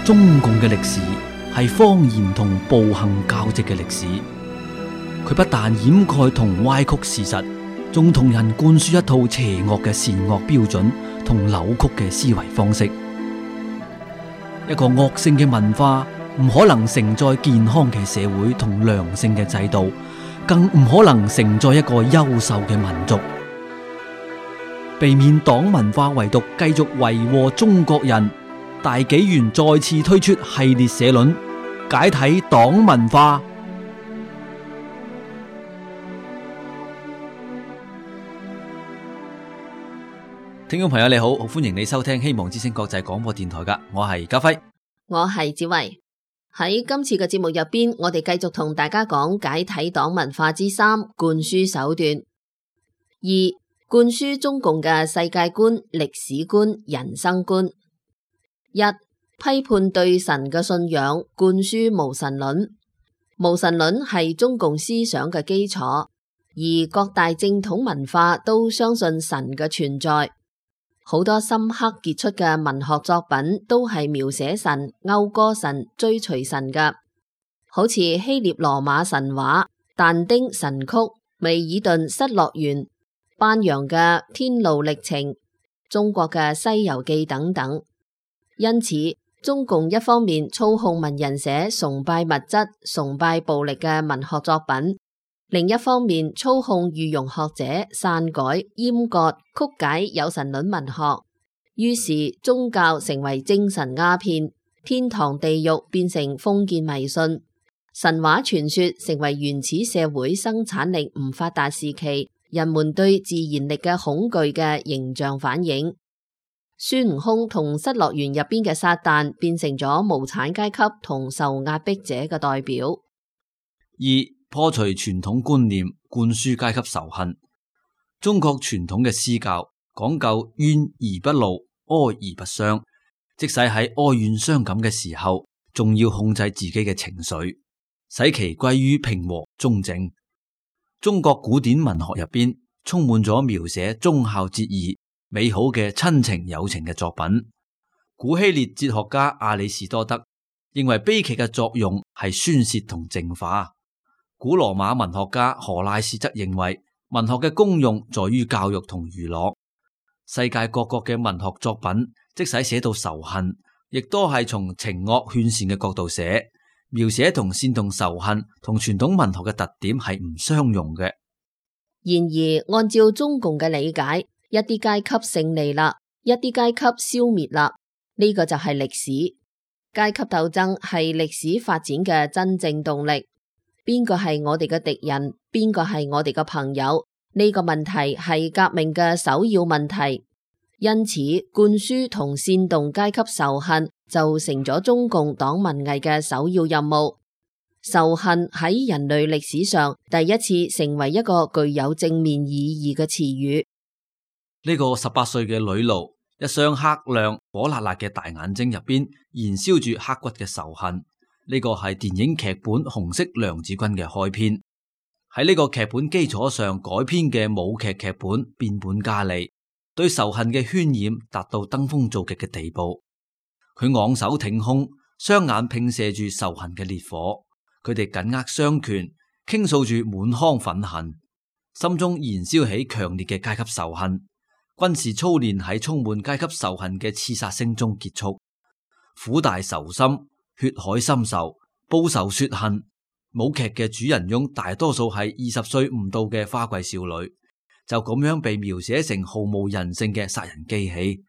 中共嘅歷史係謊言同暴行交織嘅歷史，佢不但掩蓋同歪曲事實，仲同人灌輸一套邪惡嘅善惡標準同扭曲嘅思維方式。一個惡性嘅文化唔可能承載健康嘅社會同良性嘅制度，更唔可能承載一個優秀嘅民族。避免黨文化遺毒繼續為禍中國人，大紀元再次推出系列社論，解體黨文化。聽眾朋友你好，歡迎你收聽希望之聲國際廣播電台噶，我係家輝，我係子維。喺今次嘅節目入邊，我哋繼續同大家講解體黨文化之三，灌輸手段。二、灌輸中共嘅世界觀、歷史觀、人生觀。一、批判對神嘅信仰，灌輸無神論。無神論係中共思想嘅基礎，而各大正統文化都相信神嘅存在。好多深刻傑出嘅文學作品都係描寫神、謳歌神、追隨神嘅，好似希臘羅馬神話、但丁神曲、米爾頓失樂園、班揚嘅天路歷程、中國嘅西遊記等等。因此，中共一方面操控文人寫崇拜物質、崇拜暴力嘅文學作品，另一方面操控御用學者篡改、閹割、曲解有神論文學，於是宗教成為精神鴉片，天堂地獄變成封建迷信，神話傳說成為原始社會生產力唔發達時期人們對自然力嘅恐懼嘅形象反映。孫悟空同失樂園入邊嘅撒旦變成咗無產階級同受壓迫者嘅代表。二、破除傳統觀念，灌輸階級仇恨。中國傳統嘅詩教講究怨而不怒，哀而不傷，即使喺哀怨傷感嘅時候，仲要控制自己嘅情緒，使其歸於平和中正。中國古典文學入邊充滿咗描寫忠孝節義、美好嘅親情友情嘅作品。古希臘哲學家亞里士多德認為悲劇嘅作用係宣洩同淨化。古羅馬文學家荷拉斯則認為文學嘅功用在於教育同娛樂。世界各國嘅文學作品即使寫到仇恨，亦都係從情惡勸善嘅角度寫，描寫同煽動仇恨同傳統文學嘅特點係唔相容嘅。然而按照中共嘅理解，一啲階級勝利啦，一啲階級消滅啦，呢個就係歷史。階級鬥爭係歷史發展嘅真正動力。邊個係我哋嘅敵人？邊個係我哋嘅朋友？呢個問題係革命嘅首要問題。因此，灌輸同煽動階級仇恨就成咗中共黨文藝嘅首要任務。仇恨喺人類歷史上第一次成為一個具有正面意義嘅詞語。呢個18歲嘅女奴，一雙黑亮火辣辣嘅大眼睛入邊燃燒住刻骨嘅仇恨。呢個係電影劇本《紅色娘子軍》嘅開篇，喺呢個劇本基礎上改編嘅舞劇劇本《變本加厲》，對仇恨嘅渲染達到登峰造極嘅地步。佢昂首挺胸，雙眼迸射住仇恨嘅烈火，佢哋緊握雙拳，傾訴住滿腔憤恨，心中燃燒起強烈嘅階級仇恨。軍事操練喺充滿階級仇恨嘅刺殺聲中結束，苦大仇深，血海深仇，報仇雪恨。舞劇嘅主人翁大多數係20歲唔到嘅花季少女，就咁樣被描寫成毫無人性嘅殺人機器。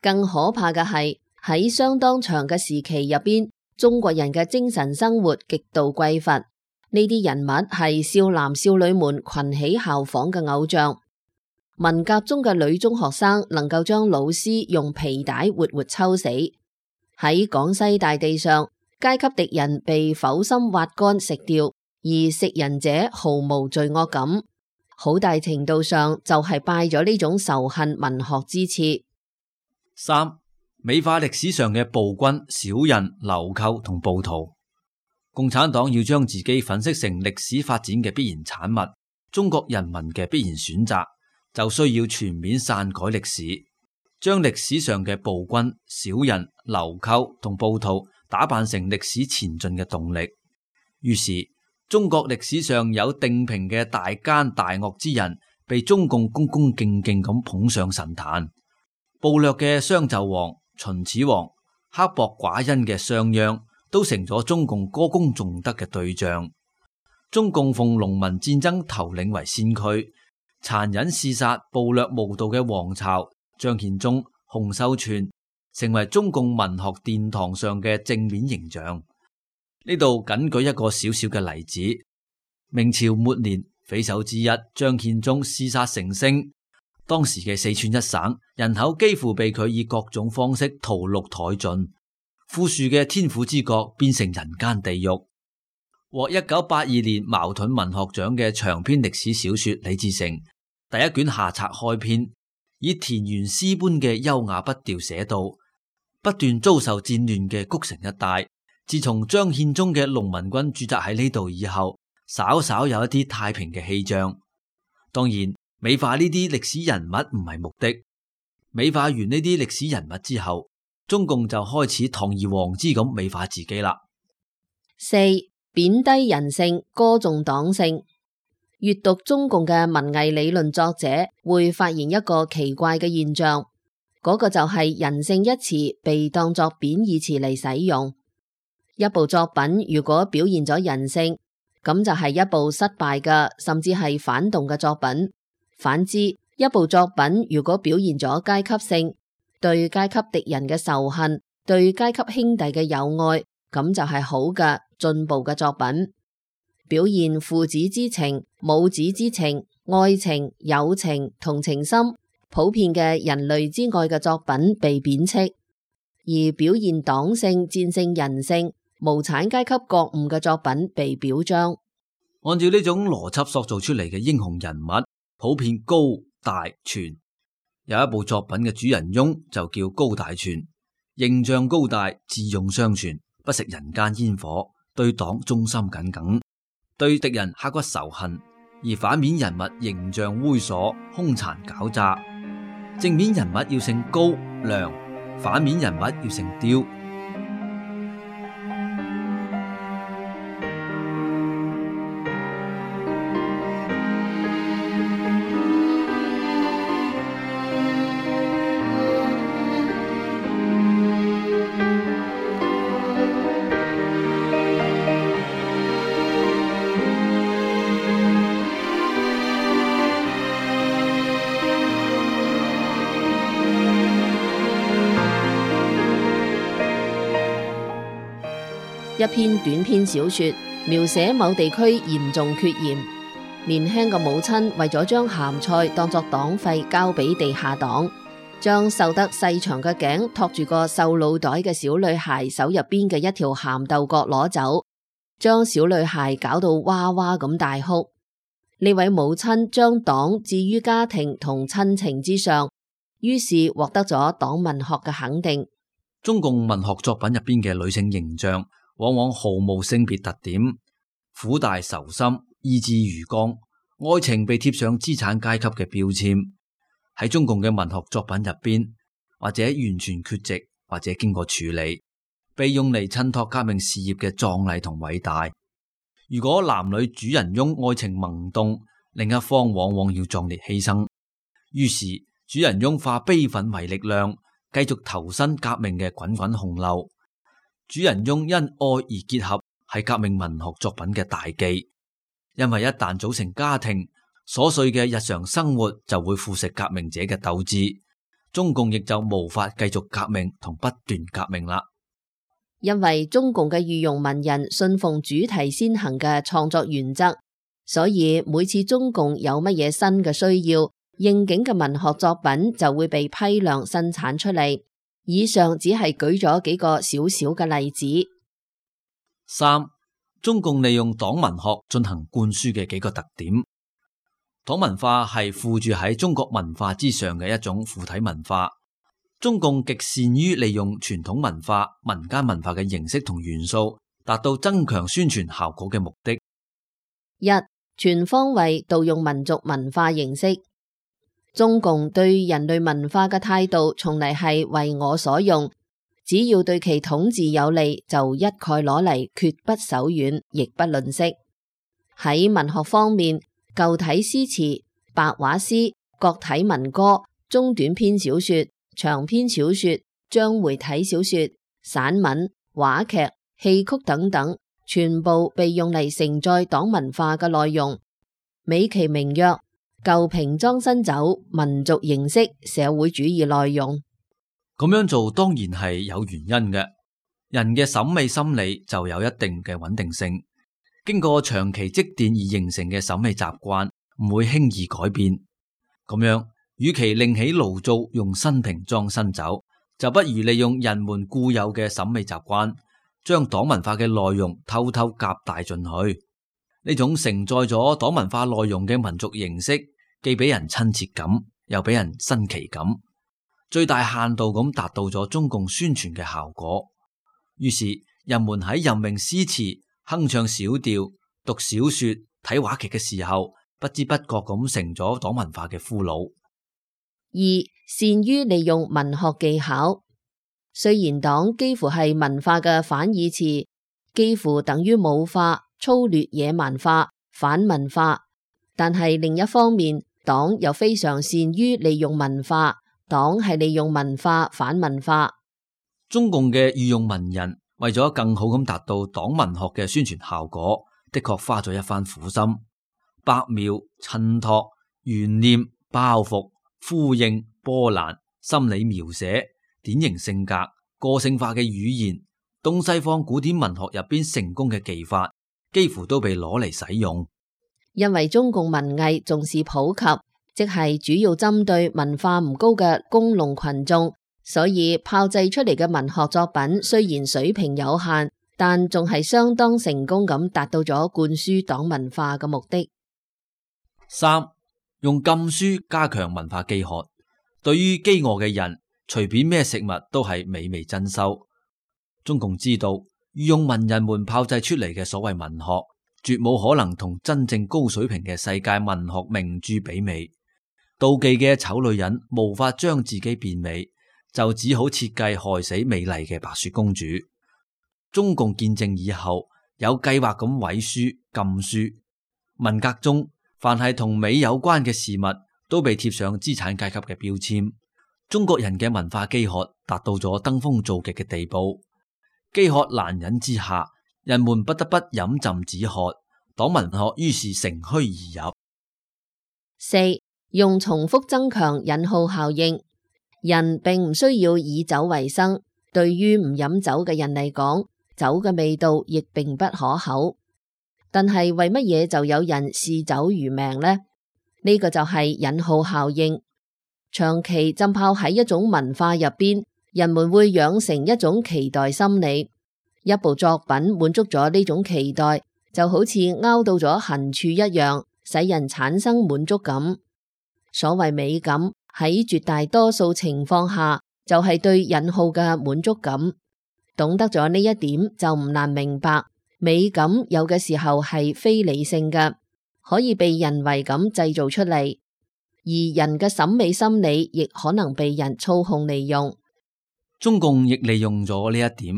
更可怕嘅係喺相當長嘅時期入邊，中國人嘅精神生活極度匱乏。呢啲人物係少男少女們群起效仿嘅偶像。文革中嘅女中學生能夠將老師用皮帶活活抽死。喺廣西大地上，階級敵人被剖心挖乾食掉，而食人者毫無罪惡感，好大程度上就係拜咗呢種仇恨文學之賜。三、美化歷史上嘅暴君、小人、流寇同暴徒。共產黨要將自己粉飾成歷史發展嘅必然產物，中國人民嘅必然選擇，就需要全面篡改歷史。將歷史上嘅暴君、小人、流寇同暴徒打扮成歷史前進嘅動力。於是，中國歷史上有定評嘅大奸大惡之人，被中共恭恭敬敬咁捧上神壇。暴虐嘅商紂王、秦始皇、刻薄寡恩嘅商鞅，都成咗中共歌功頌德嘅對象。中共奉農民戰爭頭領為先驅，殘忍嗜殺、暴虐無道嘅王朝張獻忠、洪秀全，成為中共文學殿堂上嘅正面形象。呢度僅舉一個小小嘅例子：明朝末年，匪首之一張獻忠嗜殺成性，當時嘅四川一省人口幾乎被佢以各種方式屠戮殆盡，富庶嘅天府之國變成人間地獄。獲1982年茅盾文學獎嘅長篇歷史小說《李自成》第一卷下冊開篇，以田園詩般嘅優雅筆調寫道：不斷遭受戰亂嘅谷城一帶，自從張獻忠嘅農民軍駐紮喺呢度以後，稍稍有一啲太平嘅氣象。當然，美化呢啲歷史人物唔係目的。美化完呢啲歷史人物之後，中共就開始堂而皇之咁美化自己啦。四、貶低人性，歌頌黨性。閱讀中共嘅文藝理論作者會發現一個奇怪嘅現象，嗰個就係人性一詞被當作貶義詞嚟使用。一部作品如果表現咗人性，咁就係一部失敗嘅，甚至係反動嘅作品。反之，一部作品如果表現咗階級性，對階級敵人嘅仇恨，對階級兄弟嘅友愛，咁就係好嘅進步嘅作品。表現父子之情、母子之情、愛情、友情、同情心，普遍嘅人類之愛嘅作品被貶斥，而表現黨性、戰勝人性、無產階級覺悟嘅作品被表彰。按照呢種邏輯塑造出嚟嘅英雄人物，普遍高大全。有一部作品嘅主人翁就叫高大全，形象高大，智勇雙全，不食人間煙火，對黨忠心耿耿，對敵人刻骨仇恨。而反面人物形象猥瑣、兇殘狡詐。正面人物要姓高亮，反面人物要姓刁。一篇短篇小說描寫某地區嚴重缺鹽，年輕嘅母親為咗將鹹菜當作黨費交俾地下黨，將瘦得細長嘅頸托住個瘦腦袋嘅小女孩手入邊嘅一條鹹豆角攞走，將小女孩搞到哇哇咁大哭。呢位母親將黨置於家庭同親情之上，於是獲得咗黨文學嘅肯定。中共文學作品入邊嘅女性形象往往毫無性別特點，苦大仇深，意志如鋼，愛情被貼上資產階級嘅標籤。喺中共嘅文學作品入邊，或者完全缺席，或者經過處理，被用嚟襯托革命事業嘅壯麗同偉大。如果男女主人翁愛情萌動，另一方往往要壯烈犧牲，於是主人翁化悲憤為力量，繼續投身革命嘅滾滾洪流。主人翁因愛而結合，係革命文學作品嘅大忌。因為一旦組成家庭，瑣碎嘅日常生活就會腐蝕革命者嘅鬥志，中共亦就無法繼續革命同不斷革命啦。因為中共嘅御用文人信奉主題先行嘅創作原則，所以每次中共有乜嘢新嘅需要，應景嘅文學作品就會被批量生產出嚟。以上只係舉咗幾個小小嘅例子。三、中共利用黨文學進行灌輸嘅幾個特點。黨文化係附住喺中國文化之上嘅一種附體文化。中共極善於利用傳統文化、民間文化嘅形式同元素，達到增強宣傳效果嘅目的。一、全方位盜用民族文化形式。中共對人類文化嘅態度從嚟係為我所用，只要對其統治有利，就一概攞嚟，絕不手軟，亦不吝嗇。喺文學方面，舊體詩詞、白話詩、國體民歌、中短篇小說、長篇小說、章回體小說、散文、話劇、戲曲等等，全部被用嚟承載黨文化嘅內容，美其名曰舊瓶裝新酒，民族形式，社會主義內容。咁樣做當然係有原因嘅。人嘅審美心理就有一定嘅穩定性，經過長期積澱而形成嘅審美習慣唔會輕易改變。咁樣，與其另起爐灶用新瓶裝新酒，就不如利用人們固有嘅審美習慣，將黨文化嘅內容偷偷夾帶進去。呢種承載咗黨文化內容嘅民族形式，既俾人親切感，又俾人新奇感，最大限度咁達到咗中共宣傳嘅效果。於是人們喺吟詠詩詞、哼唱小調、讀小說、睇話劇嘅時候，不知不覺咁成咗黨文化嘅俘虜。二、善於利用文學技巧。雖然黨幾乎係文化嘅反義詞，幾乎等於武化、粗劣、野蠻化、反文化，但係另一方面，黨又非常善於利用文化。黨係利用文化反文化。中共嘅御用文人為咗更好咁達到黨文學嘅宣傳效果，的確花咗一番苦心，白描、襯托、懸念、包袱、呼應、波瀾、心理描寫、典型性格、個性化嘅語言，東西方古典文學入邊成功嘅技法，幾乎都被攞嚟使用。因為中共文藝重視普及，即係主要針對文化唔高嘅工農群眾，所以炮製出嚟嘅文學作品雖然水平有限，但仲係相當成功咁達到咗灌輸黨文化嘅目的。三、用禁書加強文化飢渴。對於飢餓嘅人，隨便咩食物都係美味珍饈。中共知道，御用文人們炮製出嚟嘅所謂文學，絕冇可能同真正高水平嘅世界文學名著媲美。妒忌嘅醜女人無法將自己變美，就只好設計害死美麗嘅白雪公主。中共建政以後，有計劃咁毀書禁書。文革中，凡係同美有關嘅事物，都被貼上資產階級嘅標籤。中國人嘅文化飢渴達到咗登峰造極嘅地步，飢渴難忍之下，人們不得不飲鴆止渴，黨文學於是乘虛而入。四、用重複增強引號效應。人並唔需要以酒為生，對於唔飲酒嘅人嚟講，酒嘅味道亦並不可口。但係為乜嘢就有人視酒如命呢？呢個就係引號效應。長期浸泡喺一種文化入邊，人們會養成一種期待心理。一部作品滿足咗呢種期待，就好似勾到咗痕處一樣，使人產生滿足感。所謂美感，喺絕大多數情況下，就係對引號嘅滿足感。懂得咗呢一點，就唔難明白，美感有嘅時候係非理性嘅，可以被人為咁製造出嚟，而人嘅審美心理亦可能被人操控利用。中共亦利用咗呢一點，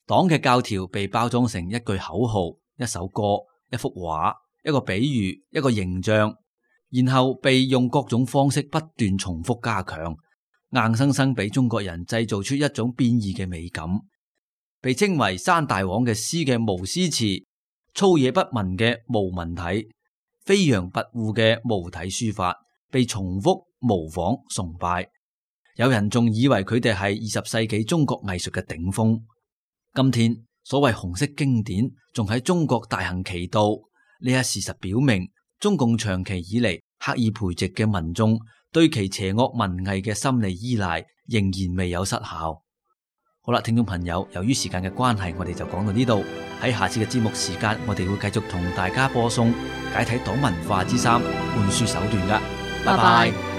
黨嘅教條被包裝成一句口號、一首歌、一幅畫、一個比喻、一個形象，然後被用各種方式不斷重複加強，硬生生俾中國人製造出一種變異嘅美感。被稱為山大王嘅詩嘅無詩詞，粗野不文嘅無文體，飛揚跋扈嘅無體書法，被重複模仿崇拜。有人仲以為佢哋係20世紀中國藝術嘅頂峰。今天所謂紅色經典仲喺中國大行其道，呢一事實表明，中共長期以嚟刻意培植嘅民眾對其邪惡文藝嘅心理依賴仍然未有失效。好啦，聽眾朋友，由於時間嘅關係，我哋就講到呢度。喺下次嘅節目時間，我哋會繼續同大家播送解體黨文化之3灌輸手段噶。拜拜。